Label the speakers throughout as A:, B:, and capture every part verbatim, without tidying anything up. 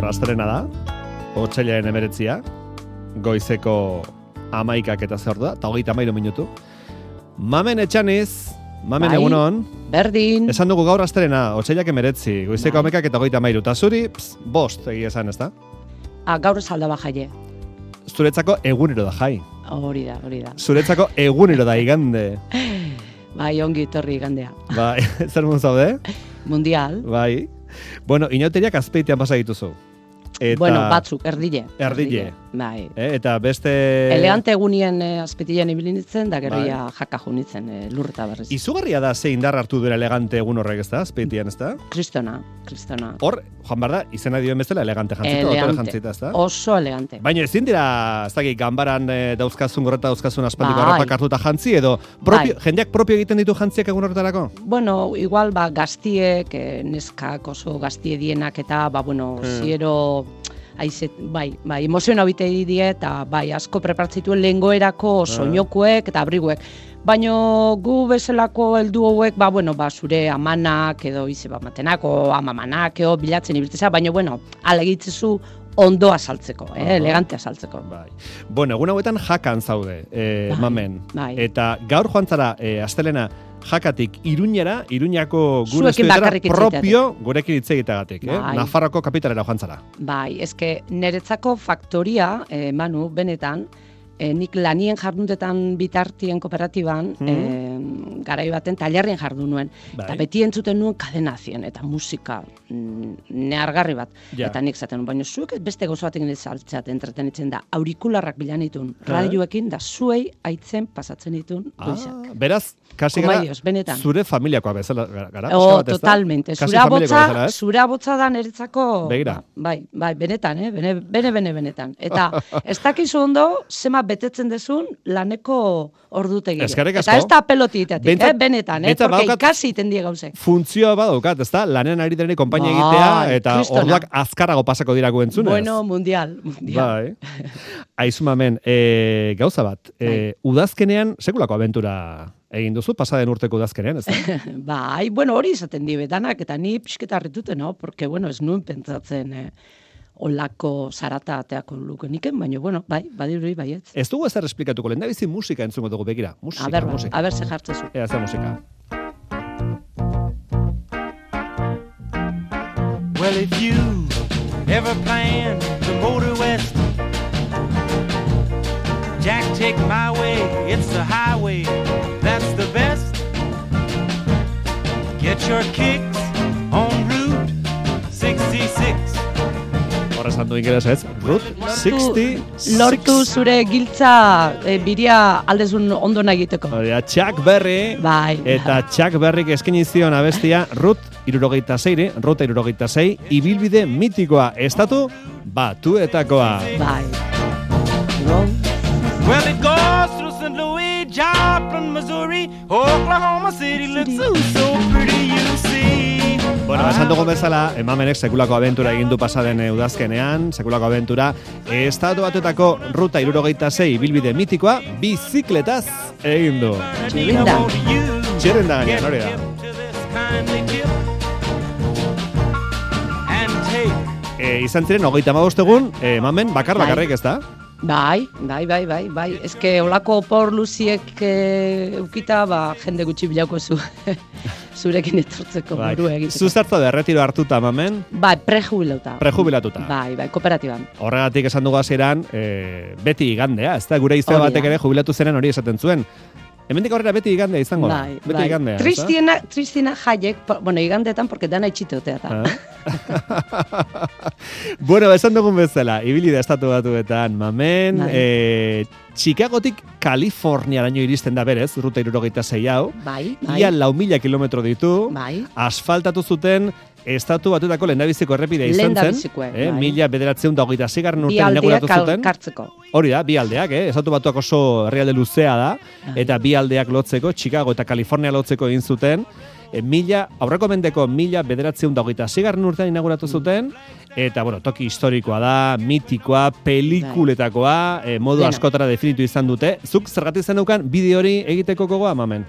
A: gaur astelena da, otsailaren hemeretzia, goizeko hamaikak eta zer da, eta hogeita hamairu minutu. Mamen Etxaniz, Mamen bai, egunon.
B: Berdin.
A: Esan dugu gaur astelena, otsailak hemeretzi, goizeko bai. hamaikak eta hogeita hamairu, eta zuri, pss, bost egia esan, ez da?
B: Ah, gaur salda bajaie.
A: Zuretzako egunero da jai.
B: Hori da, hori da.
A: Zuretzako egunero da igande.
B: Bai, ongi etorri igandea.
A: Bai, zer mun zaude?
B: Mundial.
A: Bai. Bueno, inauteriak azpeitean pasa dituzu. Eta...
B: Bueno, batzuk, erdile.
A: Erdile.
B: Bai.
A: Eh, eta beste...
B: Elegante egunien eh, azpetilean ibili nintzen, da gerria bai. jaka junitzen eh, lurreta berriz.
A: Izugarria da ze indar hartu duela elegante egun horrek, ez da? Azpeitian, ez da?
B: Kristona, kristona.
A: Hor, Juan Barda, izena dioen bezala elegante jantzita, otore jantzita, ez da?
B: Oso elegante.
A: Baina ezin dira, ez dakik, ganbaran e, dauzkazun gorreta dauzkazun aspaldiko arropak hartuta jantzi, edo propio, bai. jendeak propio egiten ditu jantziak egun horretarako?
B: Bueno, igual, ba, gaztiek, eh, neskak oso gaztie dienak eta, ba, bueno, hmm. ziero... Aizet, bai, bai, emoziona bite die eta bai, asko preparatzituen lehengoerako soinokuek eta abriguek. Baina gu bezalako heldu hauek, ba, bueno, ba, zure amanak edo ize bat matenako, amamanak edo bilatzen ibiltzea, baina, bueno, ala egitzezu ondoa saltzeko, eh, elegantea saltzeko.
A: Bai. Bueno, egun hauetan jakan zaude, eh,
B: bai,
A: Mamen.
B: Bai.
A: Eta gaur joan zara, eh, astelena, jakatik Iruñera, Iruñako gure estudietara propio gurekin hitz egiteagatik, eh? Bai. Nafarroko kapitalera joan zara.
B: Bai, eske niretzako faktoria, eh, Manu, benetan, eh, nik lanien jarduntetan bitartien kooperatiban, mm. eh, garai baten tailerrien jardun nuen. Bai. Eta beti entzuten nuen kadenazien, eta musika mm, nehargarri bat. Ja. Eta nik zaten nuen, baina zuek beste gauza batekin saltzat entretenitzen da, aurikularrak bilan ditun, radioekin, da zuei aitzen pasatzen ditun goizak.
A: Ah, beraz, kasi gara,
B: benetan.
A: Zure familiakoa bezala gara?
B: Oh, bat, totalmente. Zura botza, zura botza da niretzako...
A: Begira.
B: Bai, bai, benetan, eh? Bene, bene, bene, benetan. Eta ez dakizu ondo, zema betetzen dezun laneko ordutegia.
A: Eskerrik asko.
B: Eta ez da pelotitatik, eh? Benetan, eh? Porque ikasi itendia gauze.
A: Funtzioa badaukat, ez da? Lanen ari denei konpainia egitea, eta kristona. Orduak azkarrago pasako dirako entzunez.
B: Bueno, mundial, mundial.
A: Bai. Aizu Mamen, e, gauza bat, e, udazkenean sekulako abentura egin duzu, pasaden urteko udazkenean, ez da?
B: Bai, bueno, hori izaten di betanak, eta ni pixketa harritute, no? Porque, bueno, ez nuen pentsatzen eh, olako zarata ateako lukeniken, baina, bueno, bai, badiruri baietz.
A: Ez dugu ezer esplikatuko, lehen da bizi musika entzungo dugu, begira. Musika,
B: a ber,
A: musika.
B: A ber, ze jartzezu.
A: Ea, ze musika.
C: Well, if you ever plan to motor west, Jack, take my way, it's the highway, that's the best. Get your kicks on Route sixty-six.
A: Horra esan du ingeles ez, Route sixty-six.
B: Lortu zure giltza e, biria aldezun ondo egiteko.
A: Oria, Chuck Berry.
B: Bai.
A: Eta Chuck Berryk eskaini zion abestia Route hirurogeita sei, Route hirurogeita sei, ibilbide mitikoa, estatu batuetakoa.
B: Bai.
C: Well, it goes through Saint Louis, Joplin, Missouri, Oklahoma City looks so, so pretty, you see.
A: Bueno, esan dugun bezala, Mamenek sekulako abentura egin du pasaden udazkenean, sekulako abentura, estatu batuetako ruta hirurogeita sei bilbide mitikoa, bizikletaz egin du.
B: Txirrinda.
A: Txirrinda gainean, hori da. E, izan ziren, hogeita hamabost egun, e, Mamen, bakar bakarrik ez da?
B: Bai, bai, bai, bai, bai. Ez que olako por luziek e, eukita, ba, jende gutxi bilauko zu. Zurekin etortzeko
A: bai.
B: Buru egiteko.
A: Zuzartza de retiro hartuta, Mamen?
B: Bai, prejubilatuta.
A: Prejubilatuta.
B: Bai, bai, kooperatiban.
A: Horregatik esan dugu hasieran, e, beti igandea, ez da, gure izte batek ere jubilatu zenen hori esaten zuen. Hemendik aurrera beti igandea izango da.
B: Bai,
A: beti
B: bai.
A: igandea.
B: Tristina, Tristina jaiek, bueno, igandetan, porque dana itxitotea da.
A: Ah? Bueno, esan dugun bezala, ibili da estatu batuetan, Mamen,
B: bai.
A: e, Chicagotik Kaliforniaraino iristen da berez, ruta hirurogeita sei hau.
B: Bai, bai.
A: Ia lau mila kilometro ditu.
B: Bai.
A: Asfaltatu zuten estatu batuetako lehendabiziko errepidea izan zen. Eh,
B: bai.
A: Mila bederatzeun da hogeita zigarren urtean inauguratu zuten.
B: Kartzeko.
A: Hori da, bi aldeak, eh? Estatu batuak oso herrialde luzea da, eta bi aldeak lotzeko, Chicago eta Kalifornia lotzeko egin zuten. E, mila, aurreko mendeko mila bederatzeun da hogeita zigarren urtean inauguratu zuten, eta, bueno, toki historikoa da, mitikoa, pelikuletakoa, e, modu
B: Dena.
A: askotara definitu izan dute. Zuk zergatik zen daukan bideo hori egiteko gogoa, Mamen?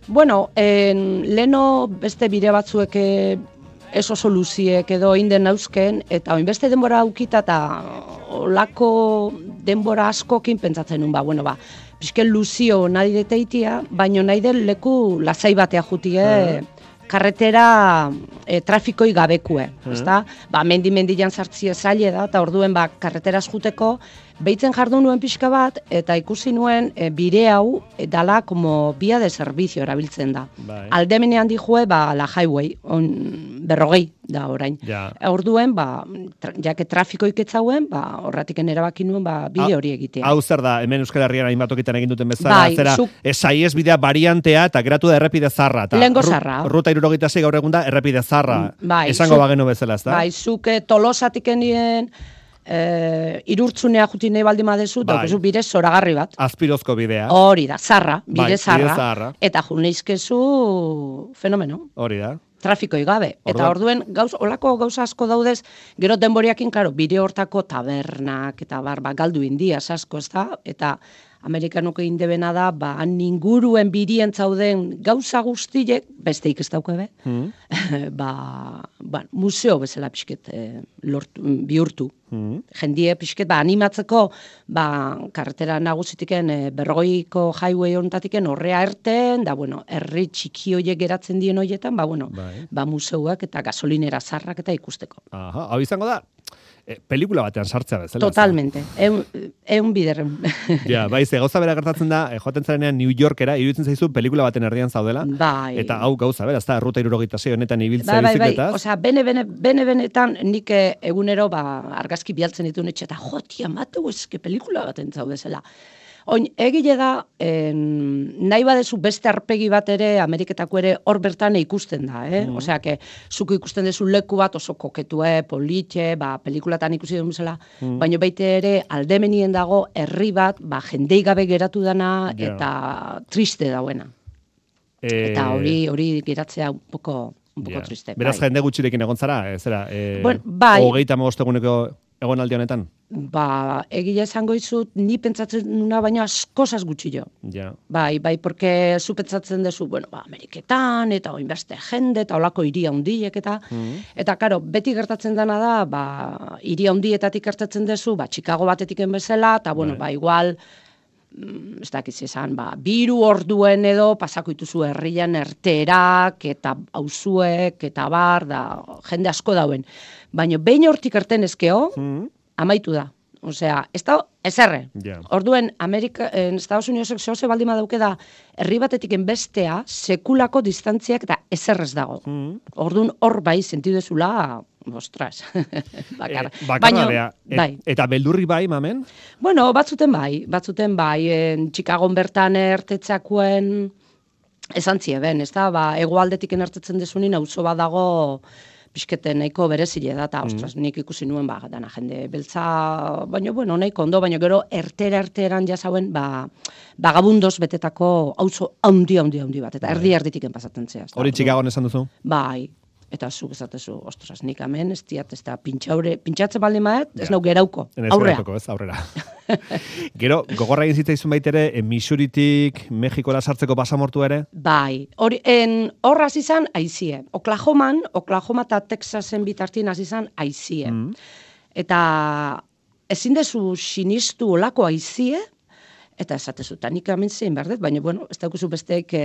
B: Bueno, en, leno beste bide batzuek ez oso luziek edo inden nauzken, eta oinbeste denbora aukita eta olako denbora askokin pentsatzen nun, ba, bueno, ba, pixken luzio nahi deteitia, baino nahi den leku lasai batea jutie, karretera e, trafikoi gabekue, ezta? Ba, mendi-mendian sartzie zaile da, eta orduen ba, karreteraz juteko, behitzen jardun nuen pixka bat, eta ikusi nuen e, bire hau e, dala como via de servizio erabiltzen da.
A: Bai.
B: Aldemenean dijue, ba, la highway, on, berrogei da orain.
A: Ja.
B: Orduen, ba, tra, jake trafikoik etzauen, ba, horratiken erabaki nuen, ba, bide hori egitea.
A: Hau zer da, hemen Euskal Herrian hainbat tokitan egin duten bezala,
B: Bai,
A: zera,
B: zuk-
A: esaiez bidea variantea, eta geratu da errepide zarra. Ta,
B: Lehengo
A: ru-
B: zarra.
A: Ruta irurogeita sei gaur egun da, errepide zarra.
B: Bai,
A: Esango
B: zuk-
A: bagenu bezala, ezta?
B: Bai, zuke tolosatik enien, e, irurtzunea juti nahi baldin badezu,
A: Bai.
B: daukezu bire zoragarri bat.
A: Azpirozko bidea.
B: Hori da, zarra,
A: Bai,
B: bide
A: bide
B: zarra.
A: zaharra.
B: Eta juneizkezu fenomeno.
A: Hori da.
B: Trafikoi gabe. Eta orduen, gauz, olako gauza asko daudez, gero denboriakin, klaro, bide hortako tabernak, eta bar, ba, galdu indiaz asko, ez da? Eta Amerikanuko indebena da, ba, han inguruen birien zauden gauza guztiek, besteik ez daukebe,
A: Hmm.
B: ba, ba, museo bezala pixket e, lortu, bihurtu.
A: Hmm.
B: Jendie pixket, ba, animatzeko, ba, karretera nagusitiken e, berrogeiko highway hontatiken horrea erten, da, bueno, herri txiki hoiek geratzen dien hoietan, ba, bueno,
A: Bai.
B: ba, museuak eta gasolinera zarrak eta ikusteko.
A: Aha, hau izango da, e, pelikula batean sartzea bezala. ezta?
B: Totalmente, eun, eun biderren.
A: Ja, bai, ze gauza bera gertatzen da, e, joaten zarenean New Yorkera, iruditzen zaizu pelikula baten erdian zaudela.
B: Bai.
A: Eta hau gauza bera, ez da, ruta irurogeita sei honetan ibiltzea
B: Bai, bai, bai,
A: bizikletaz.
B: osea, bene, bene, bene, benetan nik eh, egunero ba, argazki bialtzen ditu netxe, eta jo, tia, mateu, eske pelikula baten zaudezela. Oin, egile da, en, nahi badezu beste arpegi bat ere, Ameriketako ere hor bertan ikusten da, eh?
A: Mm.
B: Osea, que zuko ikusten dezu leku bat oso koketue, politxe, ba, pelikulatan ikusi duen bezala,
A: Mm.
B: baina baita ere aldemenien dago herri bat, ba, jendei gabe geratu dana,
A: Ja.
B: eta triste dauena.
A: E,
B: Eta hori hori geratzea un poco, un poco
A: ja.
B: triste.
A: Beraz,
B: bai.
A: jende gutxirekin egon zara, e, zera, e,
B: Bueno, bai.
A: hogeita hamabost eguneko egonaldi honetan?
B: Ba, egia esango izut, ni pentsatzen nuna baina askozaz gutxi jo.
A: Ja.
B: Bai, bai, porque zu pentsatzen dezu, bueno, ba, Ameriketan, eta oinbeste jende, eta olako hiri handiek, eta,
A: Mm.
B: eta, karo, beti gertatzen dena da, ba, hiri handietatik gertatzen dezu, ba, Chicago batetiken bezala, eta, bueno,
A: Bai.
B: ba, igual, mm, ez dakiz esan, ba, biru orduen edo, pasako dituzu herrian erterak, eta auzuek, eta bar, da, jende asko dauen. Baina, behin hortik erten ezkeo,
A: Mm.
B: amaitu da. Osea, ez da, ezerre.
A: Ja.
B: Orduen, Amerika, en Estados Unidos zoze baldin badauke da, herri batetik bestea, sekulako distantziak eta ezerrez dago.
A: Mm.
B: Orduan, hor bai, sentidezula, ostras, bakar.
A: E, bakarradea. Et,
B: bai.
A: Eta beldurri bai, mamen?
B: Bueno, batzuten bai, batzuten bai, en Chicagon bertan ertetzakuen, esan zieben, ez da, ba, egoaldetik ertetzen dezunin, auzo bat dago, pixketen nahiko berezile da, eta, ostras, nik ikusi nuen, ba, dana jende beltza, baina, bueno, nahiko ondo, baina gero ertera-erteran jasauen, ba, bagabundoz betetako auzo handi, handi, handi bat, eta erdi erditiken pasatzen zea.
A: Hori Chicagon esan duzu?
B: Bai, eta zuk esatezu, ostras, nik hemen, ez diat, ez da, pintxaure, pintxatzen baldin maet, ez
A: Ja.
B: nau gerauko,
A: Ez
B: aurrea.
A: geratuko, ez, aurrera. Gero, gogorra egin zitzaizun baitere, e, Missouritik Mexikora sartzeko pasamortu ere?
B: Bai, hori, en, hor hasi izan aizie. Oklahoman, Oklahoma eta Texasen bitartien hasi izan aizie.
A: Mm.
B: Eta ezin dezu sinistu olako aizie, eta esatezu, eta nik hemen zein behar dut, baina, bueno, ez daukuzu besteek e,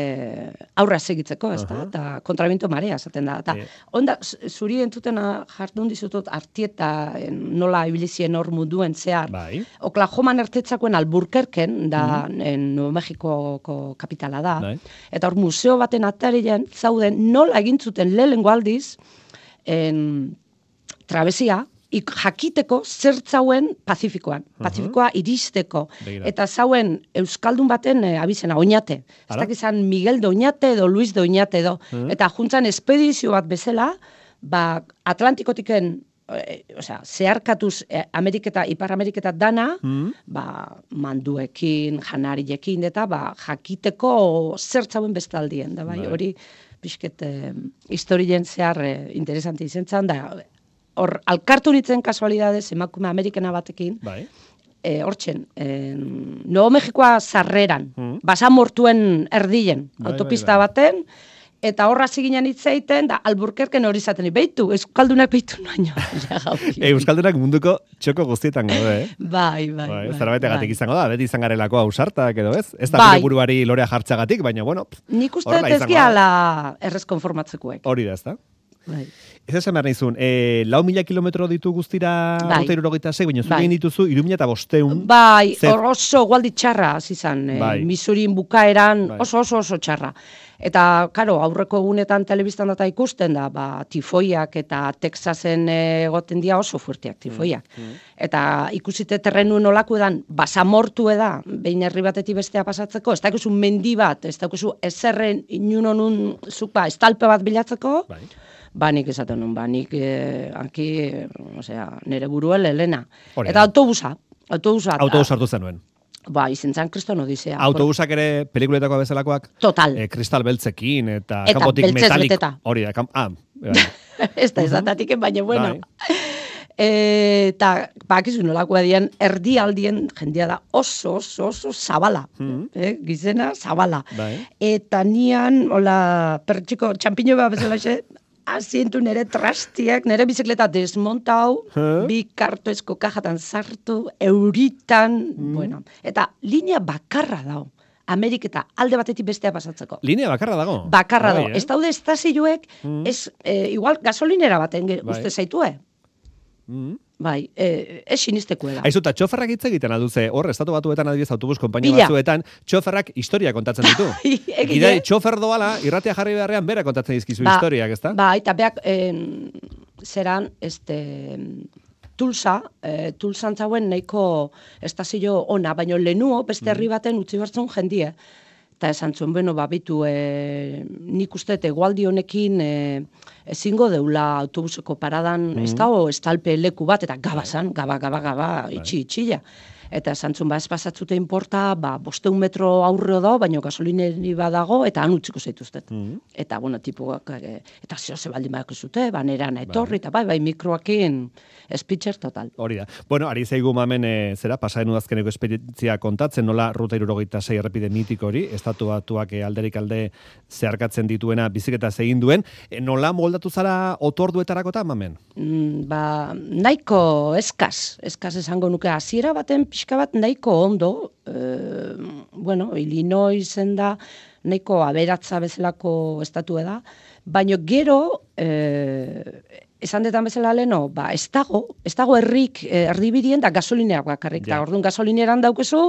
B: aurra segitzeko, ez da,
A: Aha.
B: eta kontrabiento marea esaten da. Eta,
A: E.
B: onda, z- zuri entutena jardun dizutot artieta en, nola ibilizien hor munduen zehar.
A: Bai.
B: Oklahoman ertetzakoen Alburquerquen, da, en Nuevo Mexikoko kapitala da.
A: Bai.
B: Eta hor museo baten atarian zauden nola egin zuten lehenengo aldiz en, trabesia, ik jakiteko zertzauen Pazifikoan. Pazifikoa iristeko.
A: Begira.
B: Eta zauen Euskaldun baten e, abizena, Oñate. Ez
A: Ara?
B: dakizan Miguel de Oñate edo Luis de Oñate edo. Eta juntzan espedizio bat bezala, ba, Atlantikotiken e, osea, zeharkatuz e, Ameriketa, Ipar Ameriketa dana,
A: Mm.
B: ba, manduekin, janariekin, eta ba, jakiteko zertzauen bestaldien, da bai,
A: Bai.
B: hori pixket eh, historien zehar eh, interesanti izan zan, da hor, alkartu nitzen kasualidadez emakume Amerikana batekin,
A: Bai.
B: e, hortzen, e, Nuevo Mexikoa sarreran,
A: Mm.
B: basamortuen erdien,
A: Bai,
B: autopista
A: bai, bai.
B: baten, eta horra ziginen hitzaiten, da Alburquerquen hori izaten, beitu, euskaldunak beitu naino.
A: Euskaldunak munduko txoko guztietan gaude, eh?
B: Bai, bai, bai.
A: Zerbaitegatik
B: bai.
A: izango da, beti izan garelako ausartak edo ez? Ez da
B: Bai.
A: bere buruari lorea jartzagatik, baina bueno,
B: Nik uste ez gehala errez konformatzekuek.
A: Hori da, ez da?
B: Bai.
A: Ez esan behar nizun, e, lau mila kilometro ditu guztira
B: bai.
A: ruta irurogeita sei, baina
B: bai.
A: zuen dituzu iru mila eta bosteun.
B: Bai,
A: Zer...
B: oso gualdi txarra, izan,
A: bai.
B: e, Misurin bukaeran
A: bai.
B: oso oso oso txarra. Eta, karo, aurreko egunetan telebistan data ikusten da, ba, tifoiak eta Texasen egoten dira oso fuerteak tifoiak. Mm, mm. Eta ikusite terrenu nolaku edan, basamortu eda, behin herri batetik bestea pasatzeko, ez dakuzu mendi bat, ez dakuzu ezerren inunonun zuk ba, estalpe bat bilatzeko, bai. Ba, nik esaten nun, ba, nik eh, anki, osea, nire buruel helena. Eta autobusa, autobusa.
A: Autobusa hartu zenuen.
B: Ba, izentzan kriston odisea.
A: Autobusak ere pelikuletako bezalakoak?
B: Total.
A: E, kristal beltzekin eta,
B: eta
A: kanpotik metalik.
B: Eta
A: Hori da, kam... ah,
B: ez da, ez da, tatiken, baina, bueno. Eta, bakizu nolakoa dian, erdi aldien jendea da oso, oso, oso zabala. Mm. Eh, gizena, zabala. Bai. Eta nian, hola, pertxiko, txampiño bat bezala xe, asientu nere trastiak, nere bizikleta desmontau, huh? Bi kartoezko kajatan sartu, euritan, mm. bueno, eta linea bakarra dao. Ameriketa alde batetik bestea pasatzeko.
A: Linea bakarra dago?
B: Bakarra dago. Ez daude estazioek, mm. ez, e, igual gasolinera baten bai. Uste zaitue. Mm. Bai, e, ez sinisteko da.
A: Aizu, eta txoferrak hitz egiten alduze, hor, estatu batuetan adibidez autobus konpainia batzuetan, txoferrak historia kontatzen ditu. Gidai, txofer doala, irratia jarri beharrean, bera kontatzen dizkizu ba, historiak, ezta?
B: Ba, eta beak, eh, zeran, este, Tulsa, eh, Tulsan zauen nahiko estazio ona, baino lehenuo, beste herri baten utzi bertzen jendie. Eta esan zuen, bueno, babitu, e, nik uste, egualdi honekin e, ezingo deula autobuseko paradan, mm. ez dago estalpe leku bat, eta gabazan, gaba, gaba, gaba, itxi, itxila. Eta esan zuen, ba, ez pasatzute inporta, ba, bosteun metro aurreo dago, baina gasolineri badago, eta han utziko zaituztet. Mm. Eta, bueno, tipuak, e, eta zeo ze baldin badako zute, ba, neran etorri, eta bai, bai, mikroakin, espitzer total.
A: Hori da. Bueno, ari zaigu mamen, e, zera, pasaren udazkeneko esperientzia kontatzen, nola ruta irurogeita sei errepide mitiko hori, estatu batuak e, alderik alde zeharkatzen dituena biziketa egin duen, e, nola moldatu zara otorduetarako eta mamen?
B: Mm, ba, nahiko eskaz, eskaz esango nuke, hasiera baten pixka bat nahiko ondo, e, bueno, Illinoisen da, nahiko aberatza bezalako estatu da, baina gero, e, esan detan bezala leno, ba, ez dago, ez dago herrik erdibidien da gasolineak bakarrik. Da, orduan gasolineran daukezu,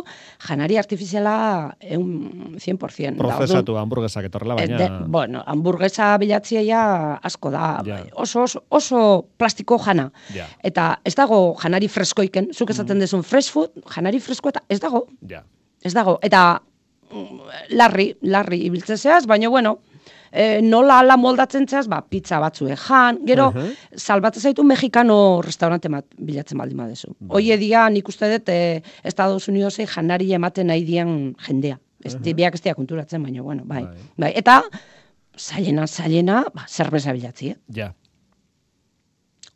B: janari artifiziala eun cien por cien.
A: Prozesatu hamburguesak etorrela, baina...
B: De, bueno, hamburguesa bilatzia ja asko da. Ja. Oso, oso, oso plastiko jana. Ja. Eta ez dago janari freskoiken, zuk esaten mm. dezun fresh food, janari fresko eta ez dago. Ja. Ez dago. Eta larri, larri ibiltzezeaz, baina bueno... E, nola ala moldatzen zehaz, ba, pizza batzue jan, gero, uh -huh. salbatzen zaitu mexikano restaurante bat bilatzen baldin badezu. Bai. Hoie dia, nik uste dut, e, Estados Unidosei janari ematen nahi dian jendea. Ez, uh -huh. Biak ez dia konturatzen, baina, bueno, bai. bai. bai. Eta, zailena, zailena, ba, zerbeza bilatzi, eh? Ja.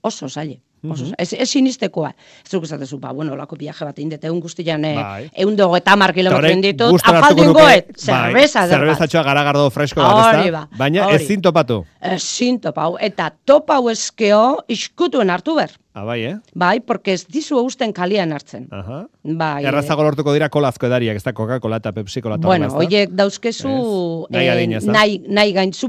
B: Oso zaile. Oso, ez, ez sinistekoa. Ez duk esatezu, ba, bueno, lako viaje bat indete, egun guztian bai. egun dugu eta mar kilometro inditut, afaldun goet, zerbeza.
A: Bai, zerbezatxoa garagardo fresko bat, ez da? Baina ez zintopatu. Ez
B: zintopau, eta topau eskeo iskutuen hartu ber.
A: Ah, bai, eh?
B: Bai, porque ez dizu eusten kalian hartzen.
A: Aha. Bai. Errazago lortuko dira kolazko edariak, ez da Coca-Cola eta Pepsi-Cola.
B: Bueno, oiek dauzkezu
A: nahi, adina,
B: nahi, nahi gaintzu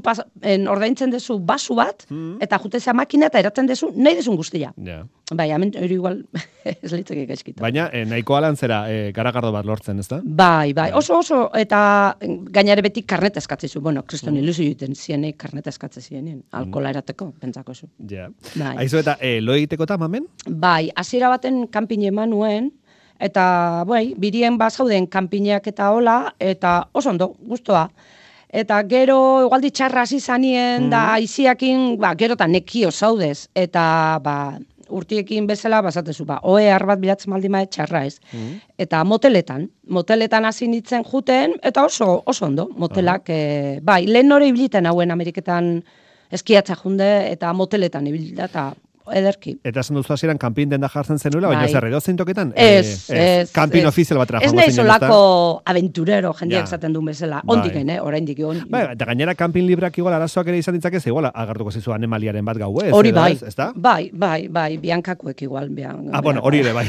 B: ordaintzen dezu basu bat, mm. eta jutezea makina eta eratzen dezu, nahi dezun guztia. Ja. Bai, hemen hori igual ez litzeke gaizkita.
A: Baina, eh, nahiko alantzera eh, garagardo bat lortzen, ez da?
B: Bai, bai, oso oso, eta gainare beti karneta eskatzezu. Bueno, kriston mm. ilusio juten zienei karneta eskatze zienien, alkola erateko, pentsako zu.
A: Ja. Bai. Aizu eta, eh, lo egiteko ta, mamen?
B: Bai, hasiera baten kanpin eman nuen, eta, bai, birien bazauden kanpineak eta hola, eta oso ondo, gustoa. Eta gero, igualdi txarra hasi zanien, mm. da, aiziakin, ba, gero eta nekio zaudez, eta, ba, urtiekin bezala, bazatezu, ba, oe bat bilatzen baldin mae txarra ez. Mm. Eta moteletan, moteletan hasi nintzen juten, eta oso, oso ondo, motelak, uh -huh. e, bai, lehen nore ibiliten hauen Ameriketan eskiatza junde, eta moteletan ibilita, eta ederki.
A: Eta esan duzu hasieran kanpin denda jartzen zenuela, baina
B: Bai.
A: zer edo zein toketan?
B: Ez,
A: Eh,
B: ez.
A: Kanpin
B: ez.
A: ofizial batera
B: Ez
A: joango
B: nahi
A: zinen, ezta?
B: solako aventurero jendeak
A: Ja.
B: esaten duen bezala.
A: Bai.
B: Ondiken, eh? Oraindik on.
A: Bai, eta gainera kanpin librak igual arazoak ere izan ditzakez, igual agartuko zizu animaliaren bat gauez.
B: Hori
A: edo
B: bai.
A: ez, ezta?
B: Bai, bai, bai, biankakuek igual. Bian,
A: Ah, bueno, hori ere bai.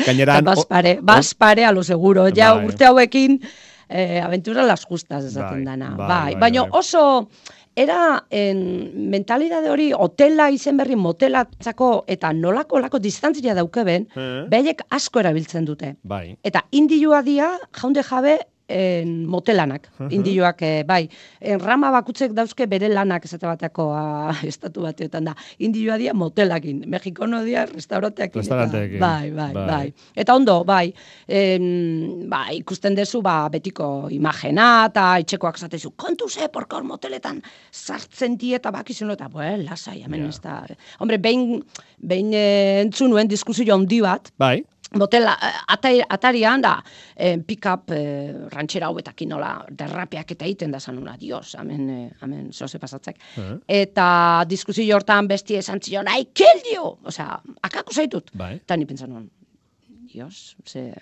A: Gainera...
B: Baspare, baspare a lo seguro. Ja
A: Bai.
B: urte hauekin eh, aventura las justas esaten
A: Bai,
B: dana.
A: bai,
B: Bai,
A: bai,
B: baina
A: bai.
B: oso era en mentalidade hori hotela izen berri motelatzako eta nolako lako distantzia daukeben,
A: Eh?
B: behaiek asko erabiltzen dute.
A: Bai.
B: Eta indilua dia jaunde jabe en, motelanak, indioak, eh, bai. En, rama bakutzek dauzke bere lanak esate bateako a, estatu bateotan da. Indioa dia motelakin, Mexikono dia restauranteakin. eta-
A: Restauranteekin.
B: Bai, bai,
A: Bai.
B: bai, Eta ondo, bai, en, ba, ikusten dezu, ba, betiko imagena, eta etxekoak zatezu, kontu ze, porka hor moteletan sartzen die, eta bakizuno, eta, bue, lasai, hemen
A: Ja.
B: ez da. Hombre, behin, behin eh, entzun nuen diskusio handi bat,
A: Bai.
B: Motela, atari, atarian da, eh, pick-up eh, rantxera hauetakin nola derrapeak eta egiten da zanuna, dios, hemen, eh, hemen zoze pasatzek.
A: Eh.
B: Eta diskusio hortan bestie esan zion, I kill you! Osea, akako zaitut.
A: Bai.
B: Eta ni pentsan nuen, dios, ze,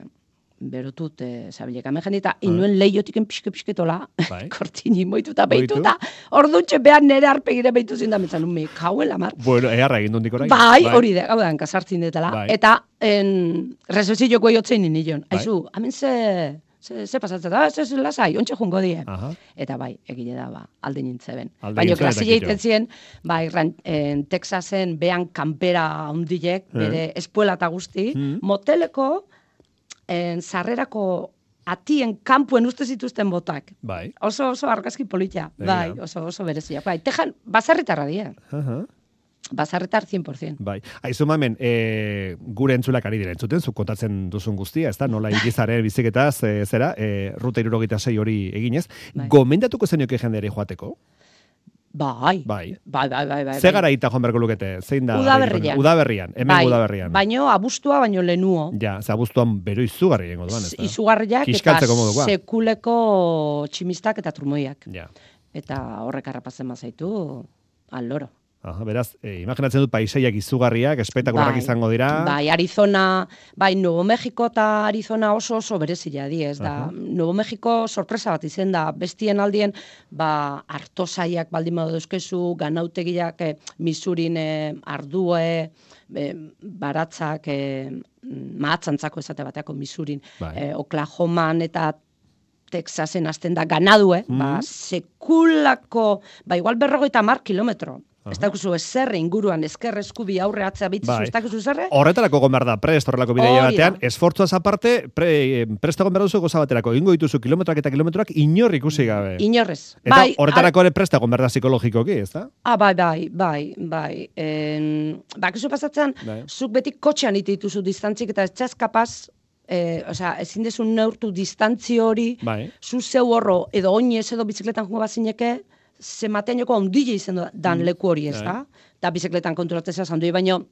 B: berotut, eh, zabilek, hemen jendita, inuen lehiotiken pixke-pixketola,
A: Bai.
B: kortini moituta,
A: Moitu.
B: behituta, ordutxe behar nere arpegire behitu zinda, pentsan nuen, me kauen lamar.
A: Bueno, eharra egin dut orain.
B: Bai, hori da, hau da, kasartzin detela.
A: Bai.
B: Eta, en, rezesioko jotzen ninion.
A: Bai.
B: Aizu, hemen ze, ze, ze pasatzen da, ze, ze lasai, ontsa jungo die.
A: Aha.
B: Eta bai, egile da, ba, alde nintzeben.
A: Alde
B: Baina
A: nintzen eta
B: klasilla
A: kito.
B: egiten zien, bai, ran, en, Texasen behan kanpera handilek, bere espuela eta guzti,
A: Mm.
B: moteleko, en, sarrerako atien kanpuen uste zituzten botak.
A: Bai.
B: Oso, oso argazki politia,
A: Begira.
B: bai, oso, oso berezia. Bai, tejan, bazarritarra die,
A: Aha.
B: bazarritar cien por ciento.
A: Bai. Aizu mamen, e, gure entzulak ari dira entzuten, zuk kontatzen duzun guztia, ez da, nola igizaren biziketaz, e, zera, e, ruta irurogeita sei hori eginez.
B: Bai.
A: Gomendatuko zenioke jendere joateko?
B: Bai.
A: Bai.
B: Bai, bai, bai, bai.
A: Ze garaita joan beharko lukete? Zein da?
B: Udaberrian.
A: Udaberrian, hemen
B: bai,
A: udaberrian.
B: Baino abustua baino lenuo.
A: Ja, ze abuztuan bero izugarri egingo duan, ez da?
B: Izugarriak eta
A: Kiskaltzeko modukoa.
B: sekuleko tximistak eta trumoiak.
A: Ja.
B: Eta horrek harrapatzen bazaitu, aloro.
A: Aha, beraz, e, imaginatzen dut paisaiak izugarriak, espektakularrak
B: Bai,
A: izango dira.
B: Bai, Arizona, bai, Nuevo Mexico eta Arizona oso oso berezia di, ez da.
A: Aha.
B: Nuevo Mexico sorpresa bat izen da, bestien aldien, ba, artosaiak baldin badu dauzkezu, ganautegiak, eh, Missourin eh, ardue, eh, baratzak, eh, mahatzantzako esate bateako Missourin,
A: Bai.
B: eh, Oklahoman eta Texasen hasten da ganadue,
A: Mm.
B: ba, sekulako, ba, igual berrogeita mar kilometro. Ez dakuzu ezerre inguruan, ezker eskubi aurre atzea bitzu,
A: Bai.
B: ez dakuzu ezerre?
A: Horretarako egon behar da, prest horrelako bidaia
B: Hori
A: batean,
B: da.
A: esfortzuaz aparte, pre, prest egon behar duzu goza baterako, ingo dituzu kilometroak eta kilometroak inor ikusi gabe.
B: Inorrez.
A: Eta
B: Bai,
A: horretarako ere prest egon behar da psikologikoki, ez da?
B: Ah, bai, bai, bai, bai. En, bakizu pasatzen,
A: Bai.
B: zuk beti kotxean ite dituzu distantzik eta ez txaz kapaz, eh, osea, ezin dezu neurtu distantzi hori,
A: Bai.
B: zu zeu horro, edo oinez edo bizikletan jungo bazineke, zemateaneko ondile izan dan leku hori, ez da? Da bizikletan konturatzea zandui, baino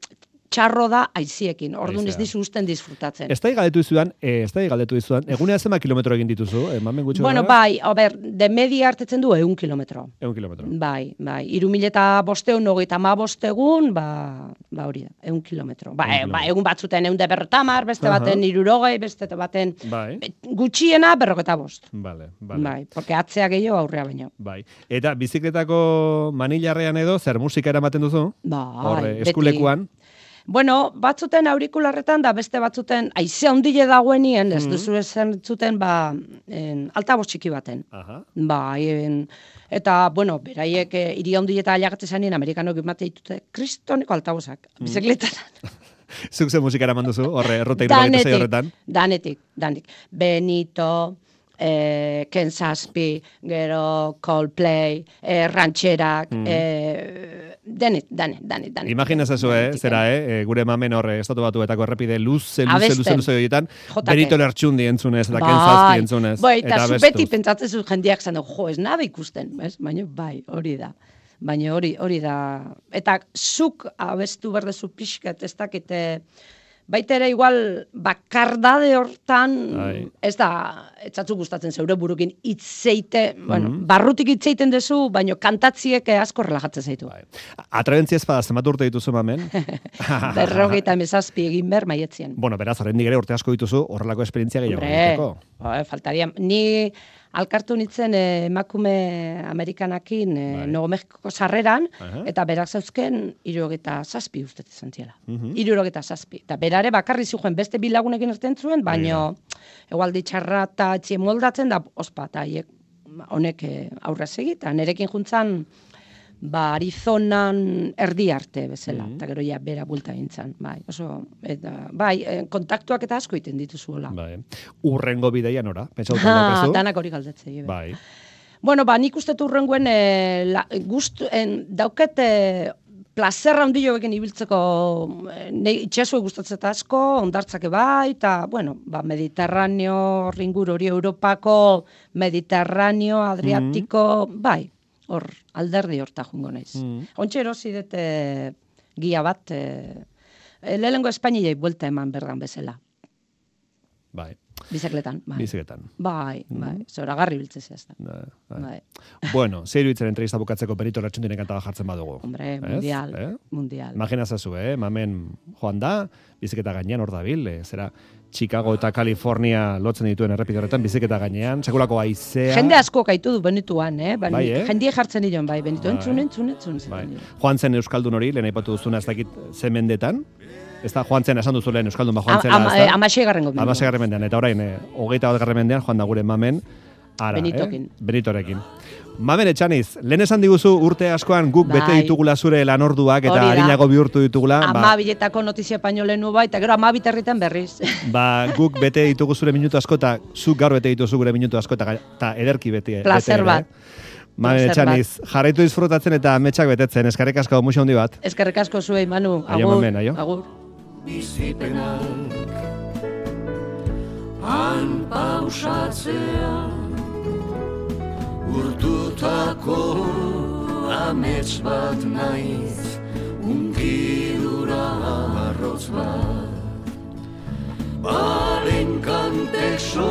B: txarro da aiziekin, orduan ez
A: Haizea.
B: dizu usten disfrutatzen.
A: Ez da galdetu izudan, eh, ez da galdetu izudan, egunea zema kilometro egin dituzu, emamen gutxo
B: Bueno, bai, a ber, de media hartetzen du ehun kilometro.
A: Egun kilometro.
B: Bai, bai, iru mila eta bosteun, hogeita ma bostegun, ba, ba hori da, ehun kilometro. Ba,
A: Ehun
B: e, ba, egun batzuten ehun de berrotamar, beste
A: Aha.
B: baten irurogei, beste baten
A: Bai,
B: e, gutxiena berrogeta bost.
A: vale, vale.
B: Bai, porque atzea gehiago aurrea baino.
A: Bai. Eta bizikletako manilarrean edo, zer musika eramaten duzu?
B: Bai,
A: Horre,
B: beti.
A: eskulekuan.
B: Bueno, batzuten aurikularretan da beste batzuten aize handile dagoenien,
A: Mm.
B: ez duzu esan zuten, ba, en, altabos txiki baten.
A: Aha.
B: Bai, en, eta, bueno, beraiek e, hiri handi eta ailegatzen zanien, amerikanok emate ditute, kristoneko altabosak,
A: Mm.
B: bizikletan.
A: Zuk ze musika eraman duzu, horre, errota irurogeita sei horretan.
B: danetik, danetik. Benito, eh, Ken Zazpi, gero Coldplay, eh, rancherak,
A: Mm.
B: eh, danet, danet, danet, danet.
A: Imaginez eso, eh,
B: Danetik,
A: zera, eh, gure mamen horre, estatu batuetako errepide luze, luze,
B: Abesten.
A: luze, luze horietan,
B: Jotake.
A: Benito Lertxundi entzunez, eta
B: Bai.
A: Ken Zazpi entzunez.
B: Bai, eta zu beti
A: abestuz.
B: pentsatzen zu jendeak zan, jo, ez nabe ikusten, bez? Baina bai, hori da. Baina hori hori da. Eta zuk abestu berdezu pixkat, ez dakite, baita ere igual bakardade hortan,
A: Ai.
B: ez da, etzatzu gustatzen zeure burukin hitzeite, bueno, barrutik hitzeiten dezu, baino kantatziek asko relajatzen zaitu.
A: Bai. Atrebentzia ez bada, zenbat urte dituzu mamen?
B: Berrogeita hemezazpi egin ber maietzien.
A: Bueno, beraz, oraindik ere urte asko dituzu, horrelako esperientzia gehiago egiteko.
B: Hombre, faltaria, ni alkartu nitzen eh, emakume Amerikanakin eh,
A: Bai.
B: Nuevo Mexiko sarreran,
A: Aha.
B: eta berak zauzken hirurogeita zazpi uste izan ziela.
A: Mhm.
B: Hirurogeita zazpi. Eta berare bakarri zuen beste bi lagunekin erten zuen, baino egualdi txarra eta txien moldatzen da ospa, eta haiek honek eh, aurrez egita. Nerekin juntzan, ba, Arizonan erdi arte bezala,
A: Mhm.
B: eta gero ja bera bulta gintzan, bai, oso, eta, bai, eh, kontaktuak eta asko iten dituzuela.
A: Bai. Urrengo bideia nora? Pentsatu
B: Ha,
A: daukazu?
B: danak hori galdetzei.
A: Bai.
B: Bueno, ba, nik uste urrenguen e, la, gust, en, dauket e, plazerra handio egin ibiltzeko e, ne, itxasue gustatzen asko, ondartzake bai, eta, bueno, ba, Mediterraneo, ringur hori Europako, Mediterraneo, Adriatiko, bai, hor, alderdi horta jungo naiz.
A: Mm.
B: Ontxe erosi dute gia bat, e, lehenengo Espainiei buelta eman berdan bezala,
A: Bai.
B: bizikletan, bai.
A: Biziketan.
B: Bai, bai, zoragarri biltzezea ez da.
A: Bai.
B: Bai.
A: Bueno, zer iruditzen entrevista bukatzeko Benito Lertxundiren kanta bat jartzen badugu.
B: Hombre,
A: Ez?
B: mundial,
A: Eh?
B: mundial.
A: Imagina zazu, eh? Mamen joan da, biziketa gainean hor dabil, eh? Zera Chicago eta California lotzen dituen errepide horretan, biziketa gainean, sekulako haizea.
B: Jende asko gaitu du Benituan, eh? Ba,
A: Bai, eh?
B: Jendie jartzen dion, bai, Benitu,
A: Bai.
B: entzun, entzun, entzun.
A: Bai.
B: Bai.
A: Joan zen Euskaldun hori, lehen aipatu duzuna ez dakit ze mendetan, ez da joan zen, esan duzu lehen Euskaldun ba joan zela,
B: Ama,
A: ez da?
B: Amaseigarren gomendu.
A: Amaseigarren mendean, eta orain, eh, hogeita bat garren mendean, joan da gure mamen, ara,
B: Benitokin.
A: eh? Benitorekin. Mamen Etxaniz, lehen esan diguzu urte askoan guk bete
B: Bai.
A: ditugula zure lanorduak eta
B: Hori da.
A: harinago bihurtu ditugula.
B: Ama biletako notizia pañolenu bai, eta gero ama biterritan berriz.
A: Ba, guk bete ditugu zure minutu asko eta zuk gaur bete dituzu gure minutu asko eta, eta ederki beti.
B: Placer
A: bete ere.
B: bat.
A: Mamen
B: Placer
A: Etxaniz, jarraitu disfrutatzen eta ametsak betetzen, eskerrik asko muxo handi bat.
B: Eskerrik asko zuei, Manu.
A: Aio,
B: Agur.
A: mamen, aio.
B: Agur.
C: Bizipenak han pausatzea urtutako amets bat naiz unkidura arrotz bat balen kantek so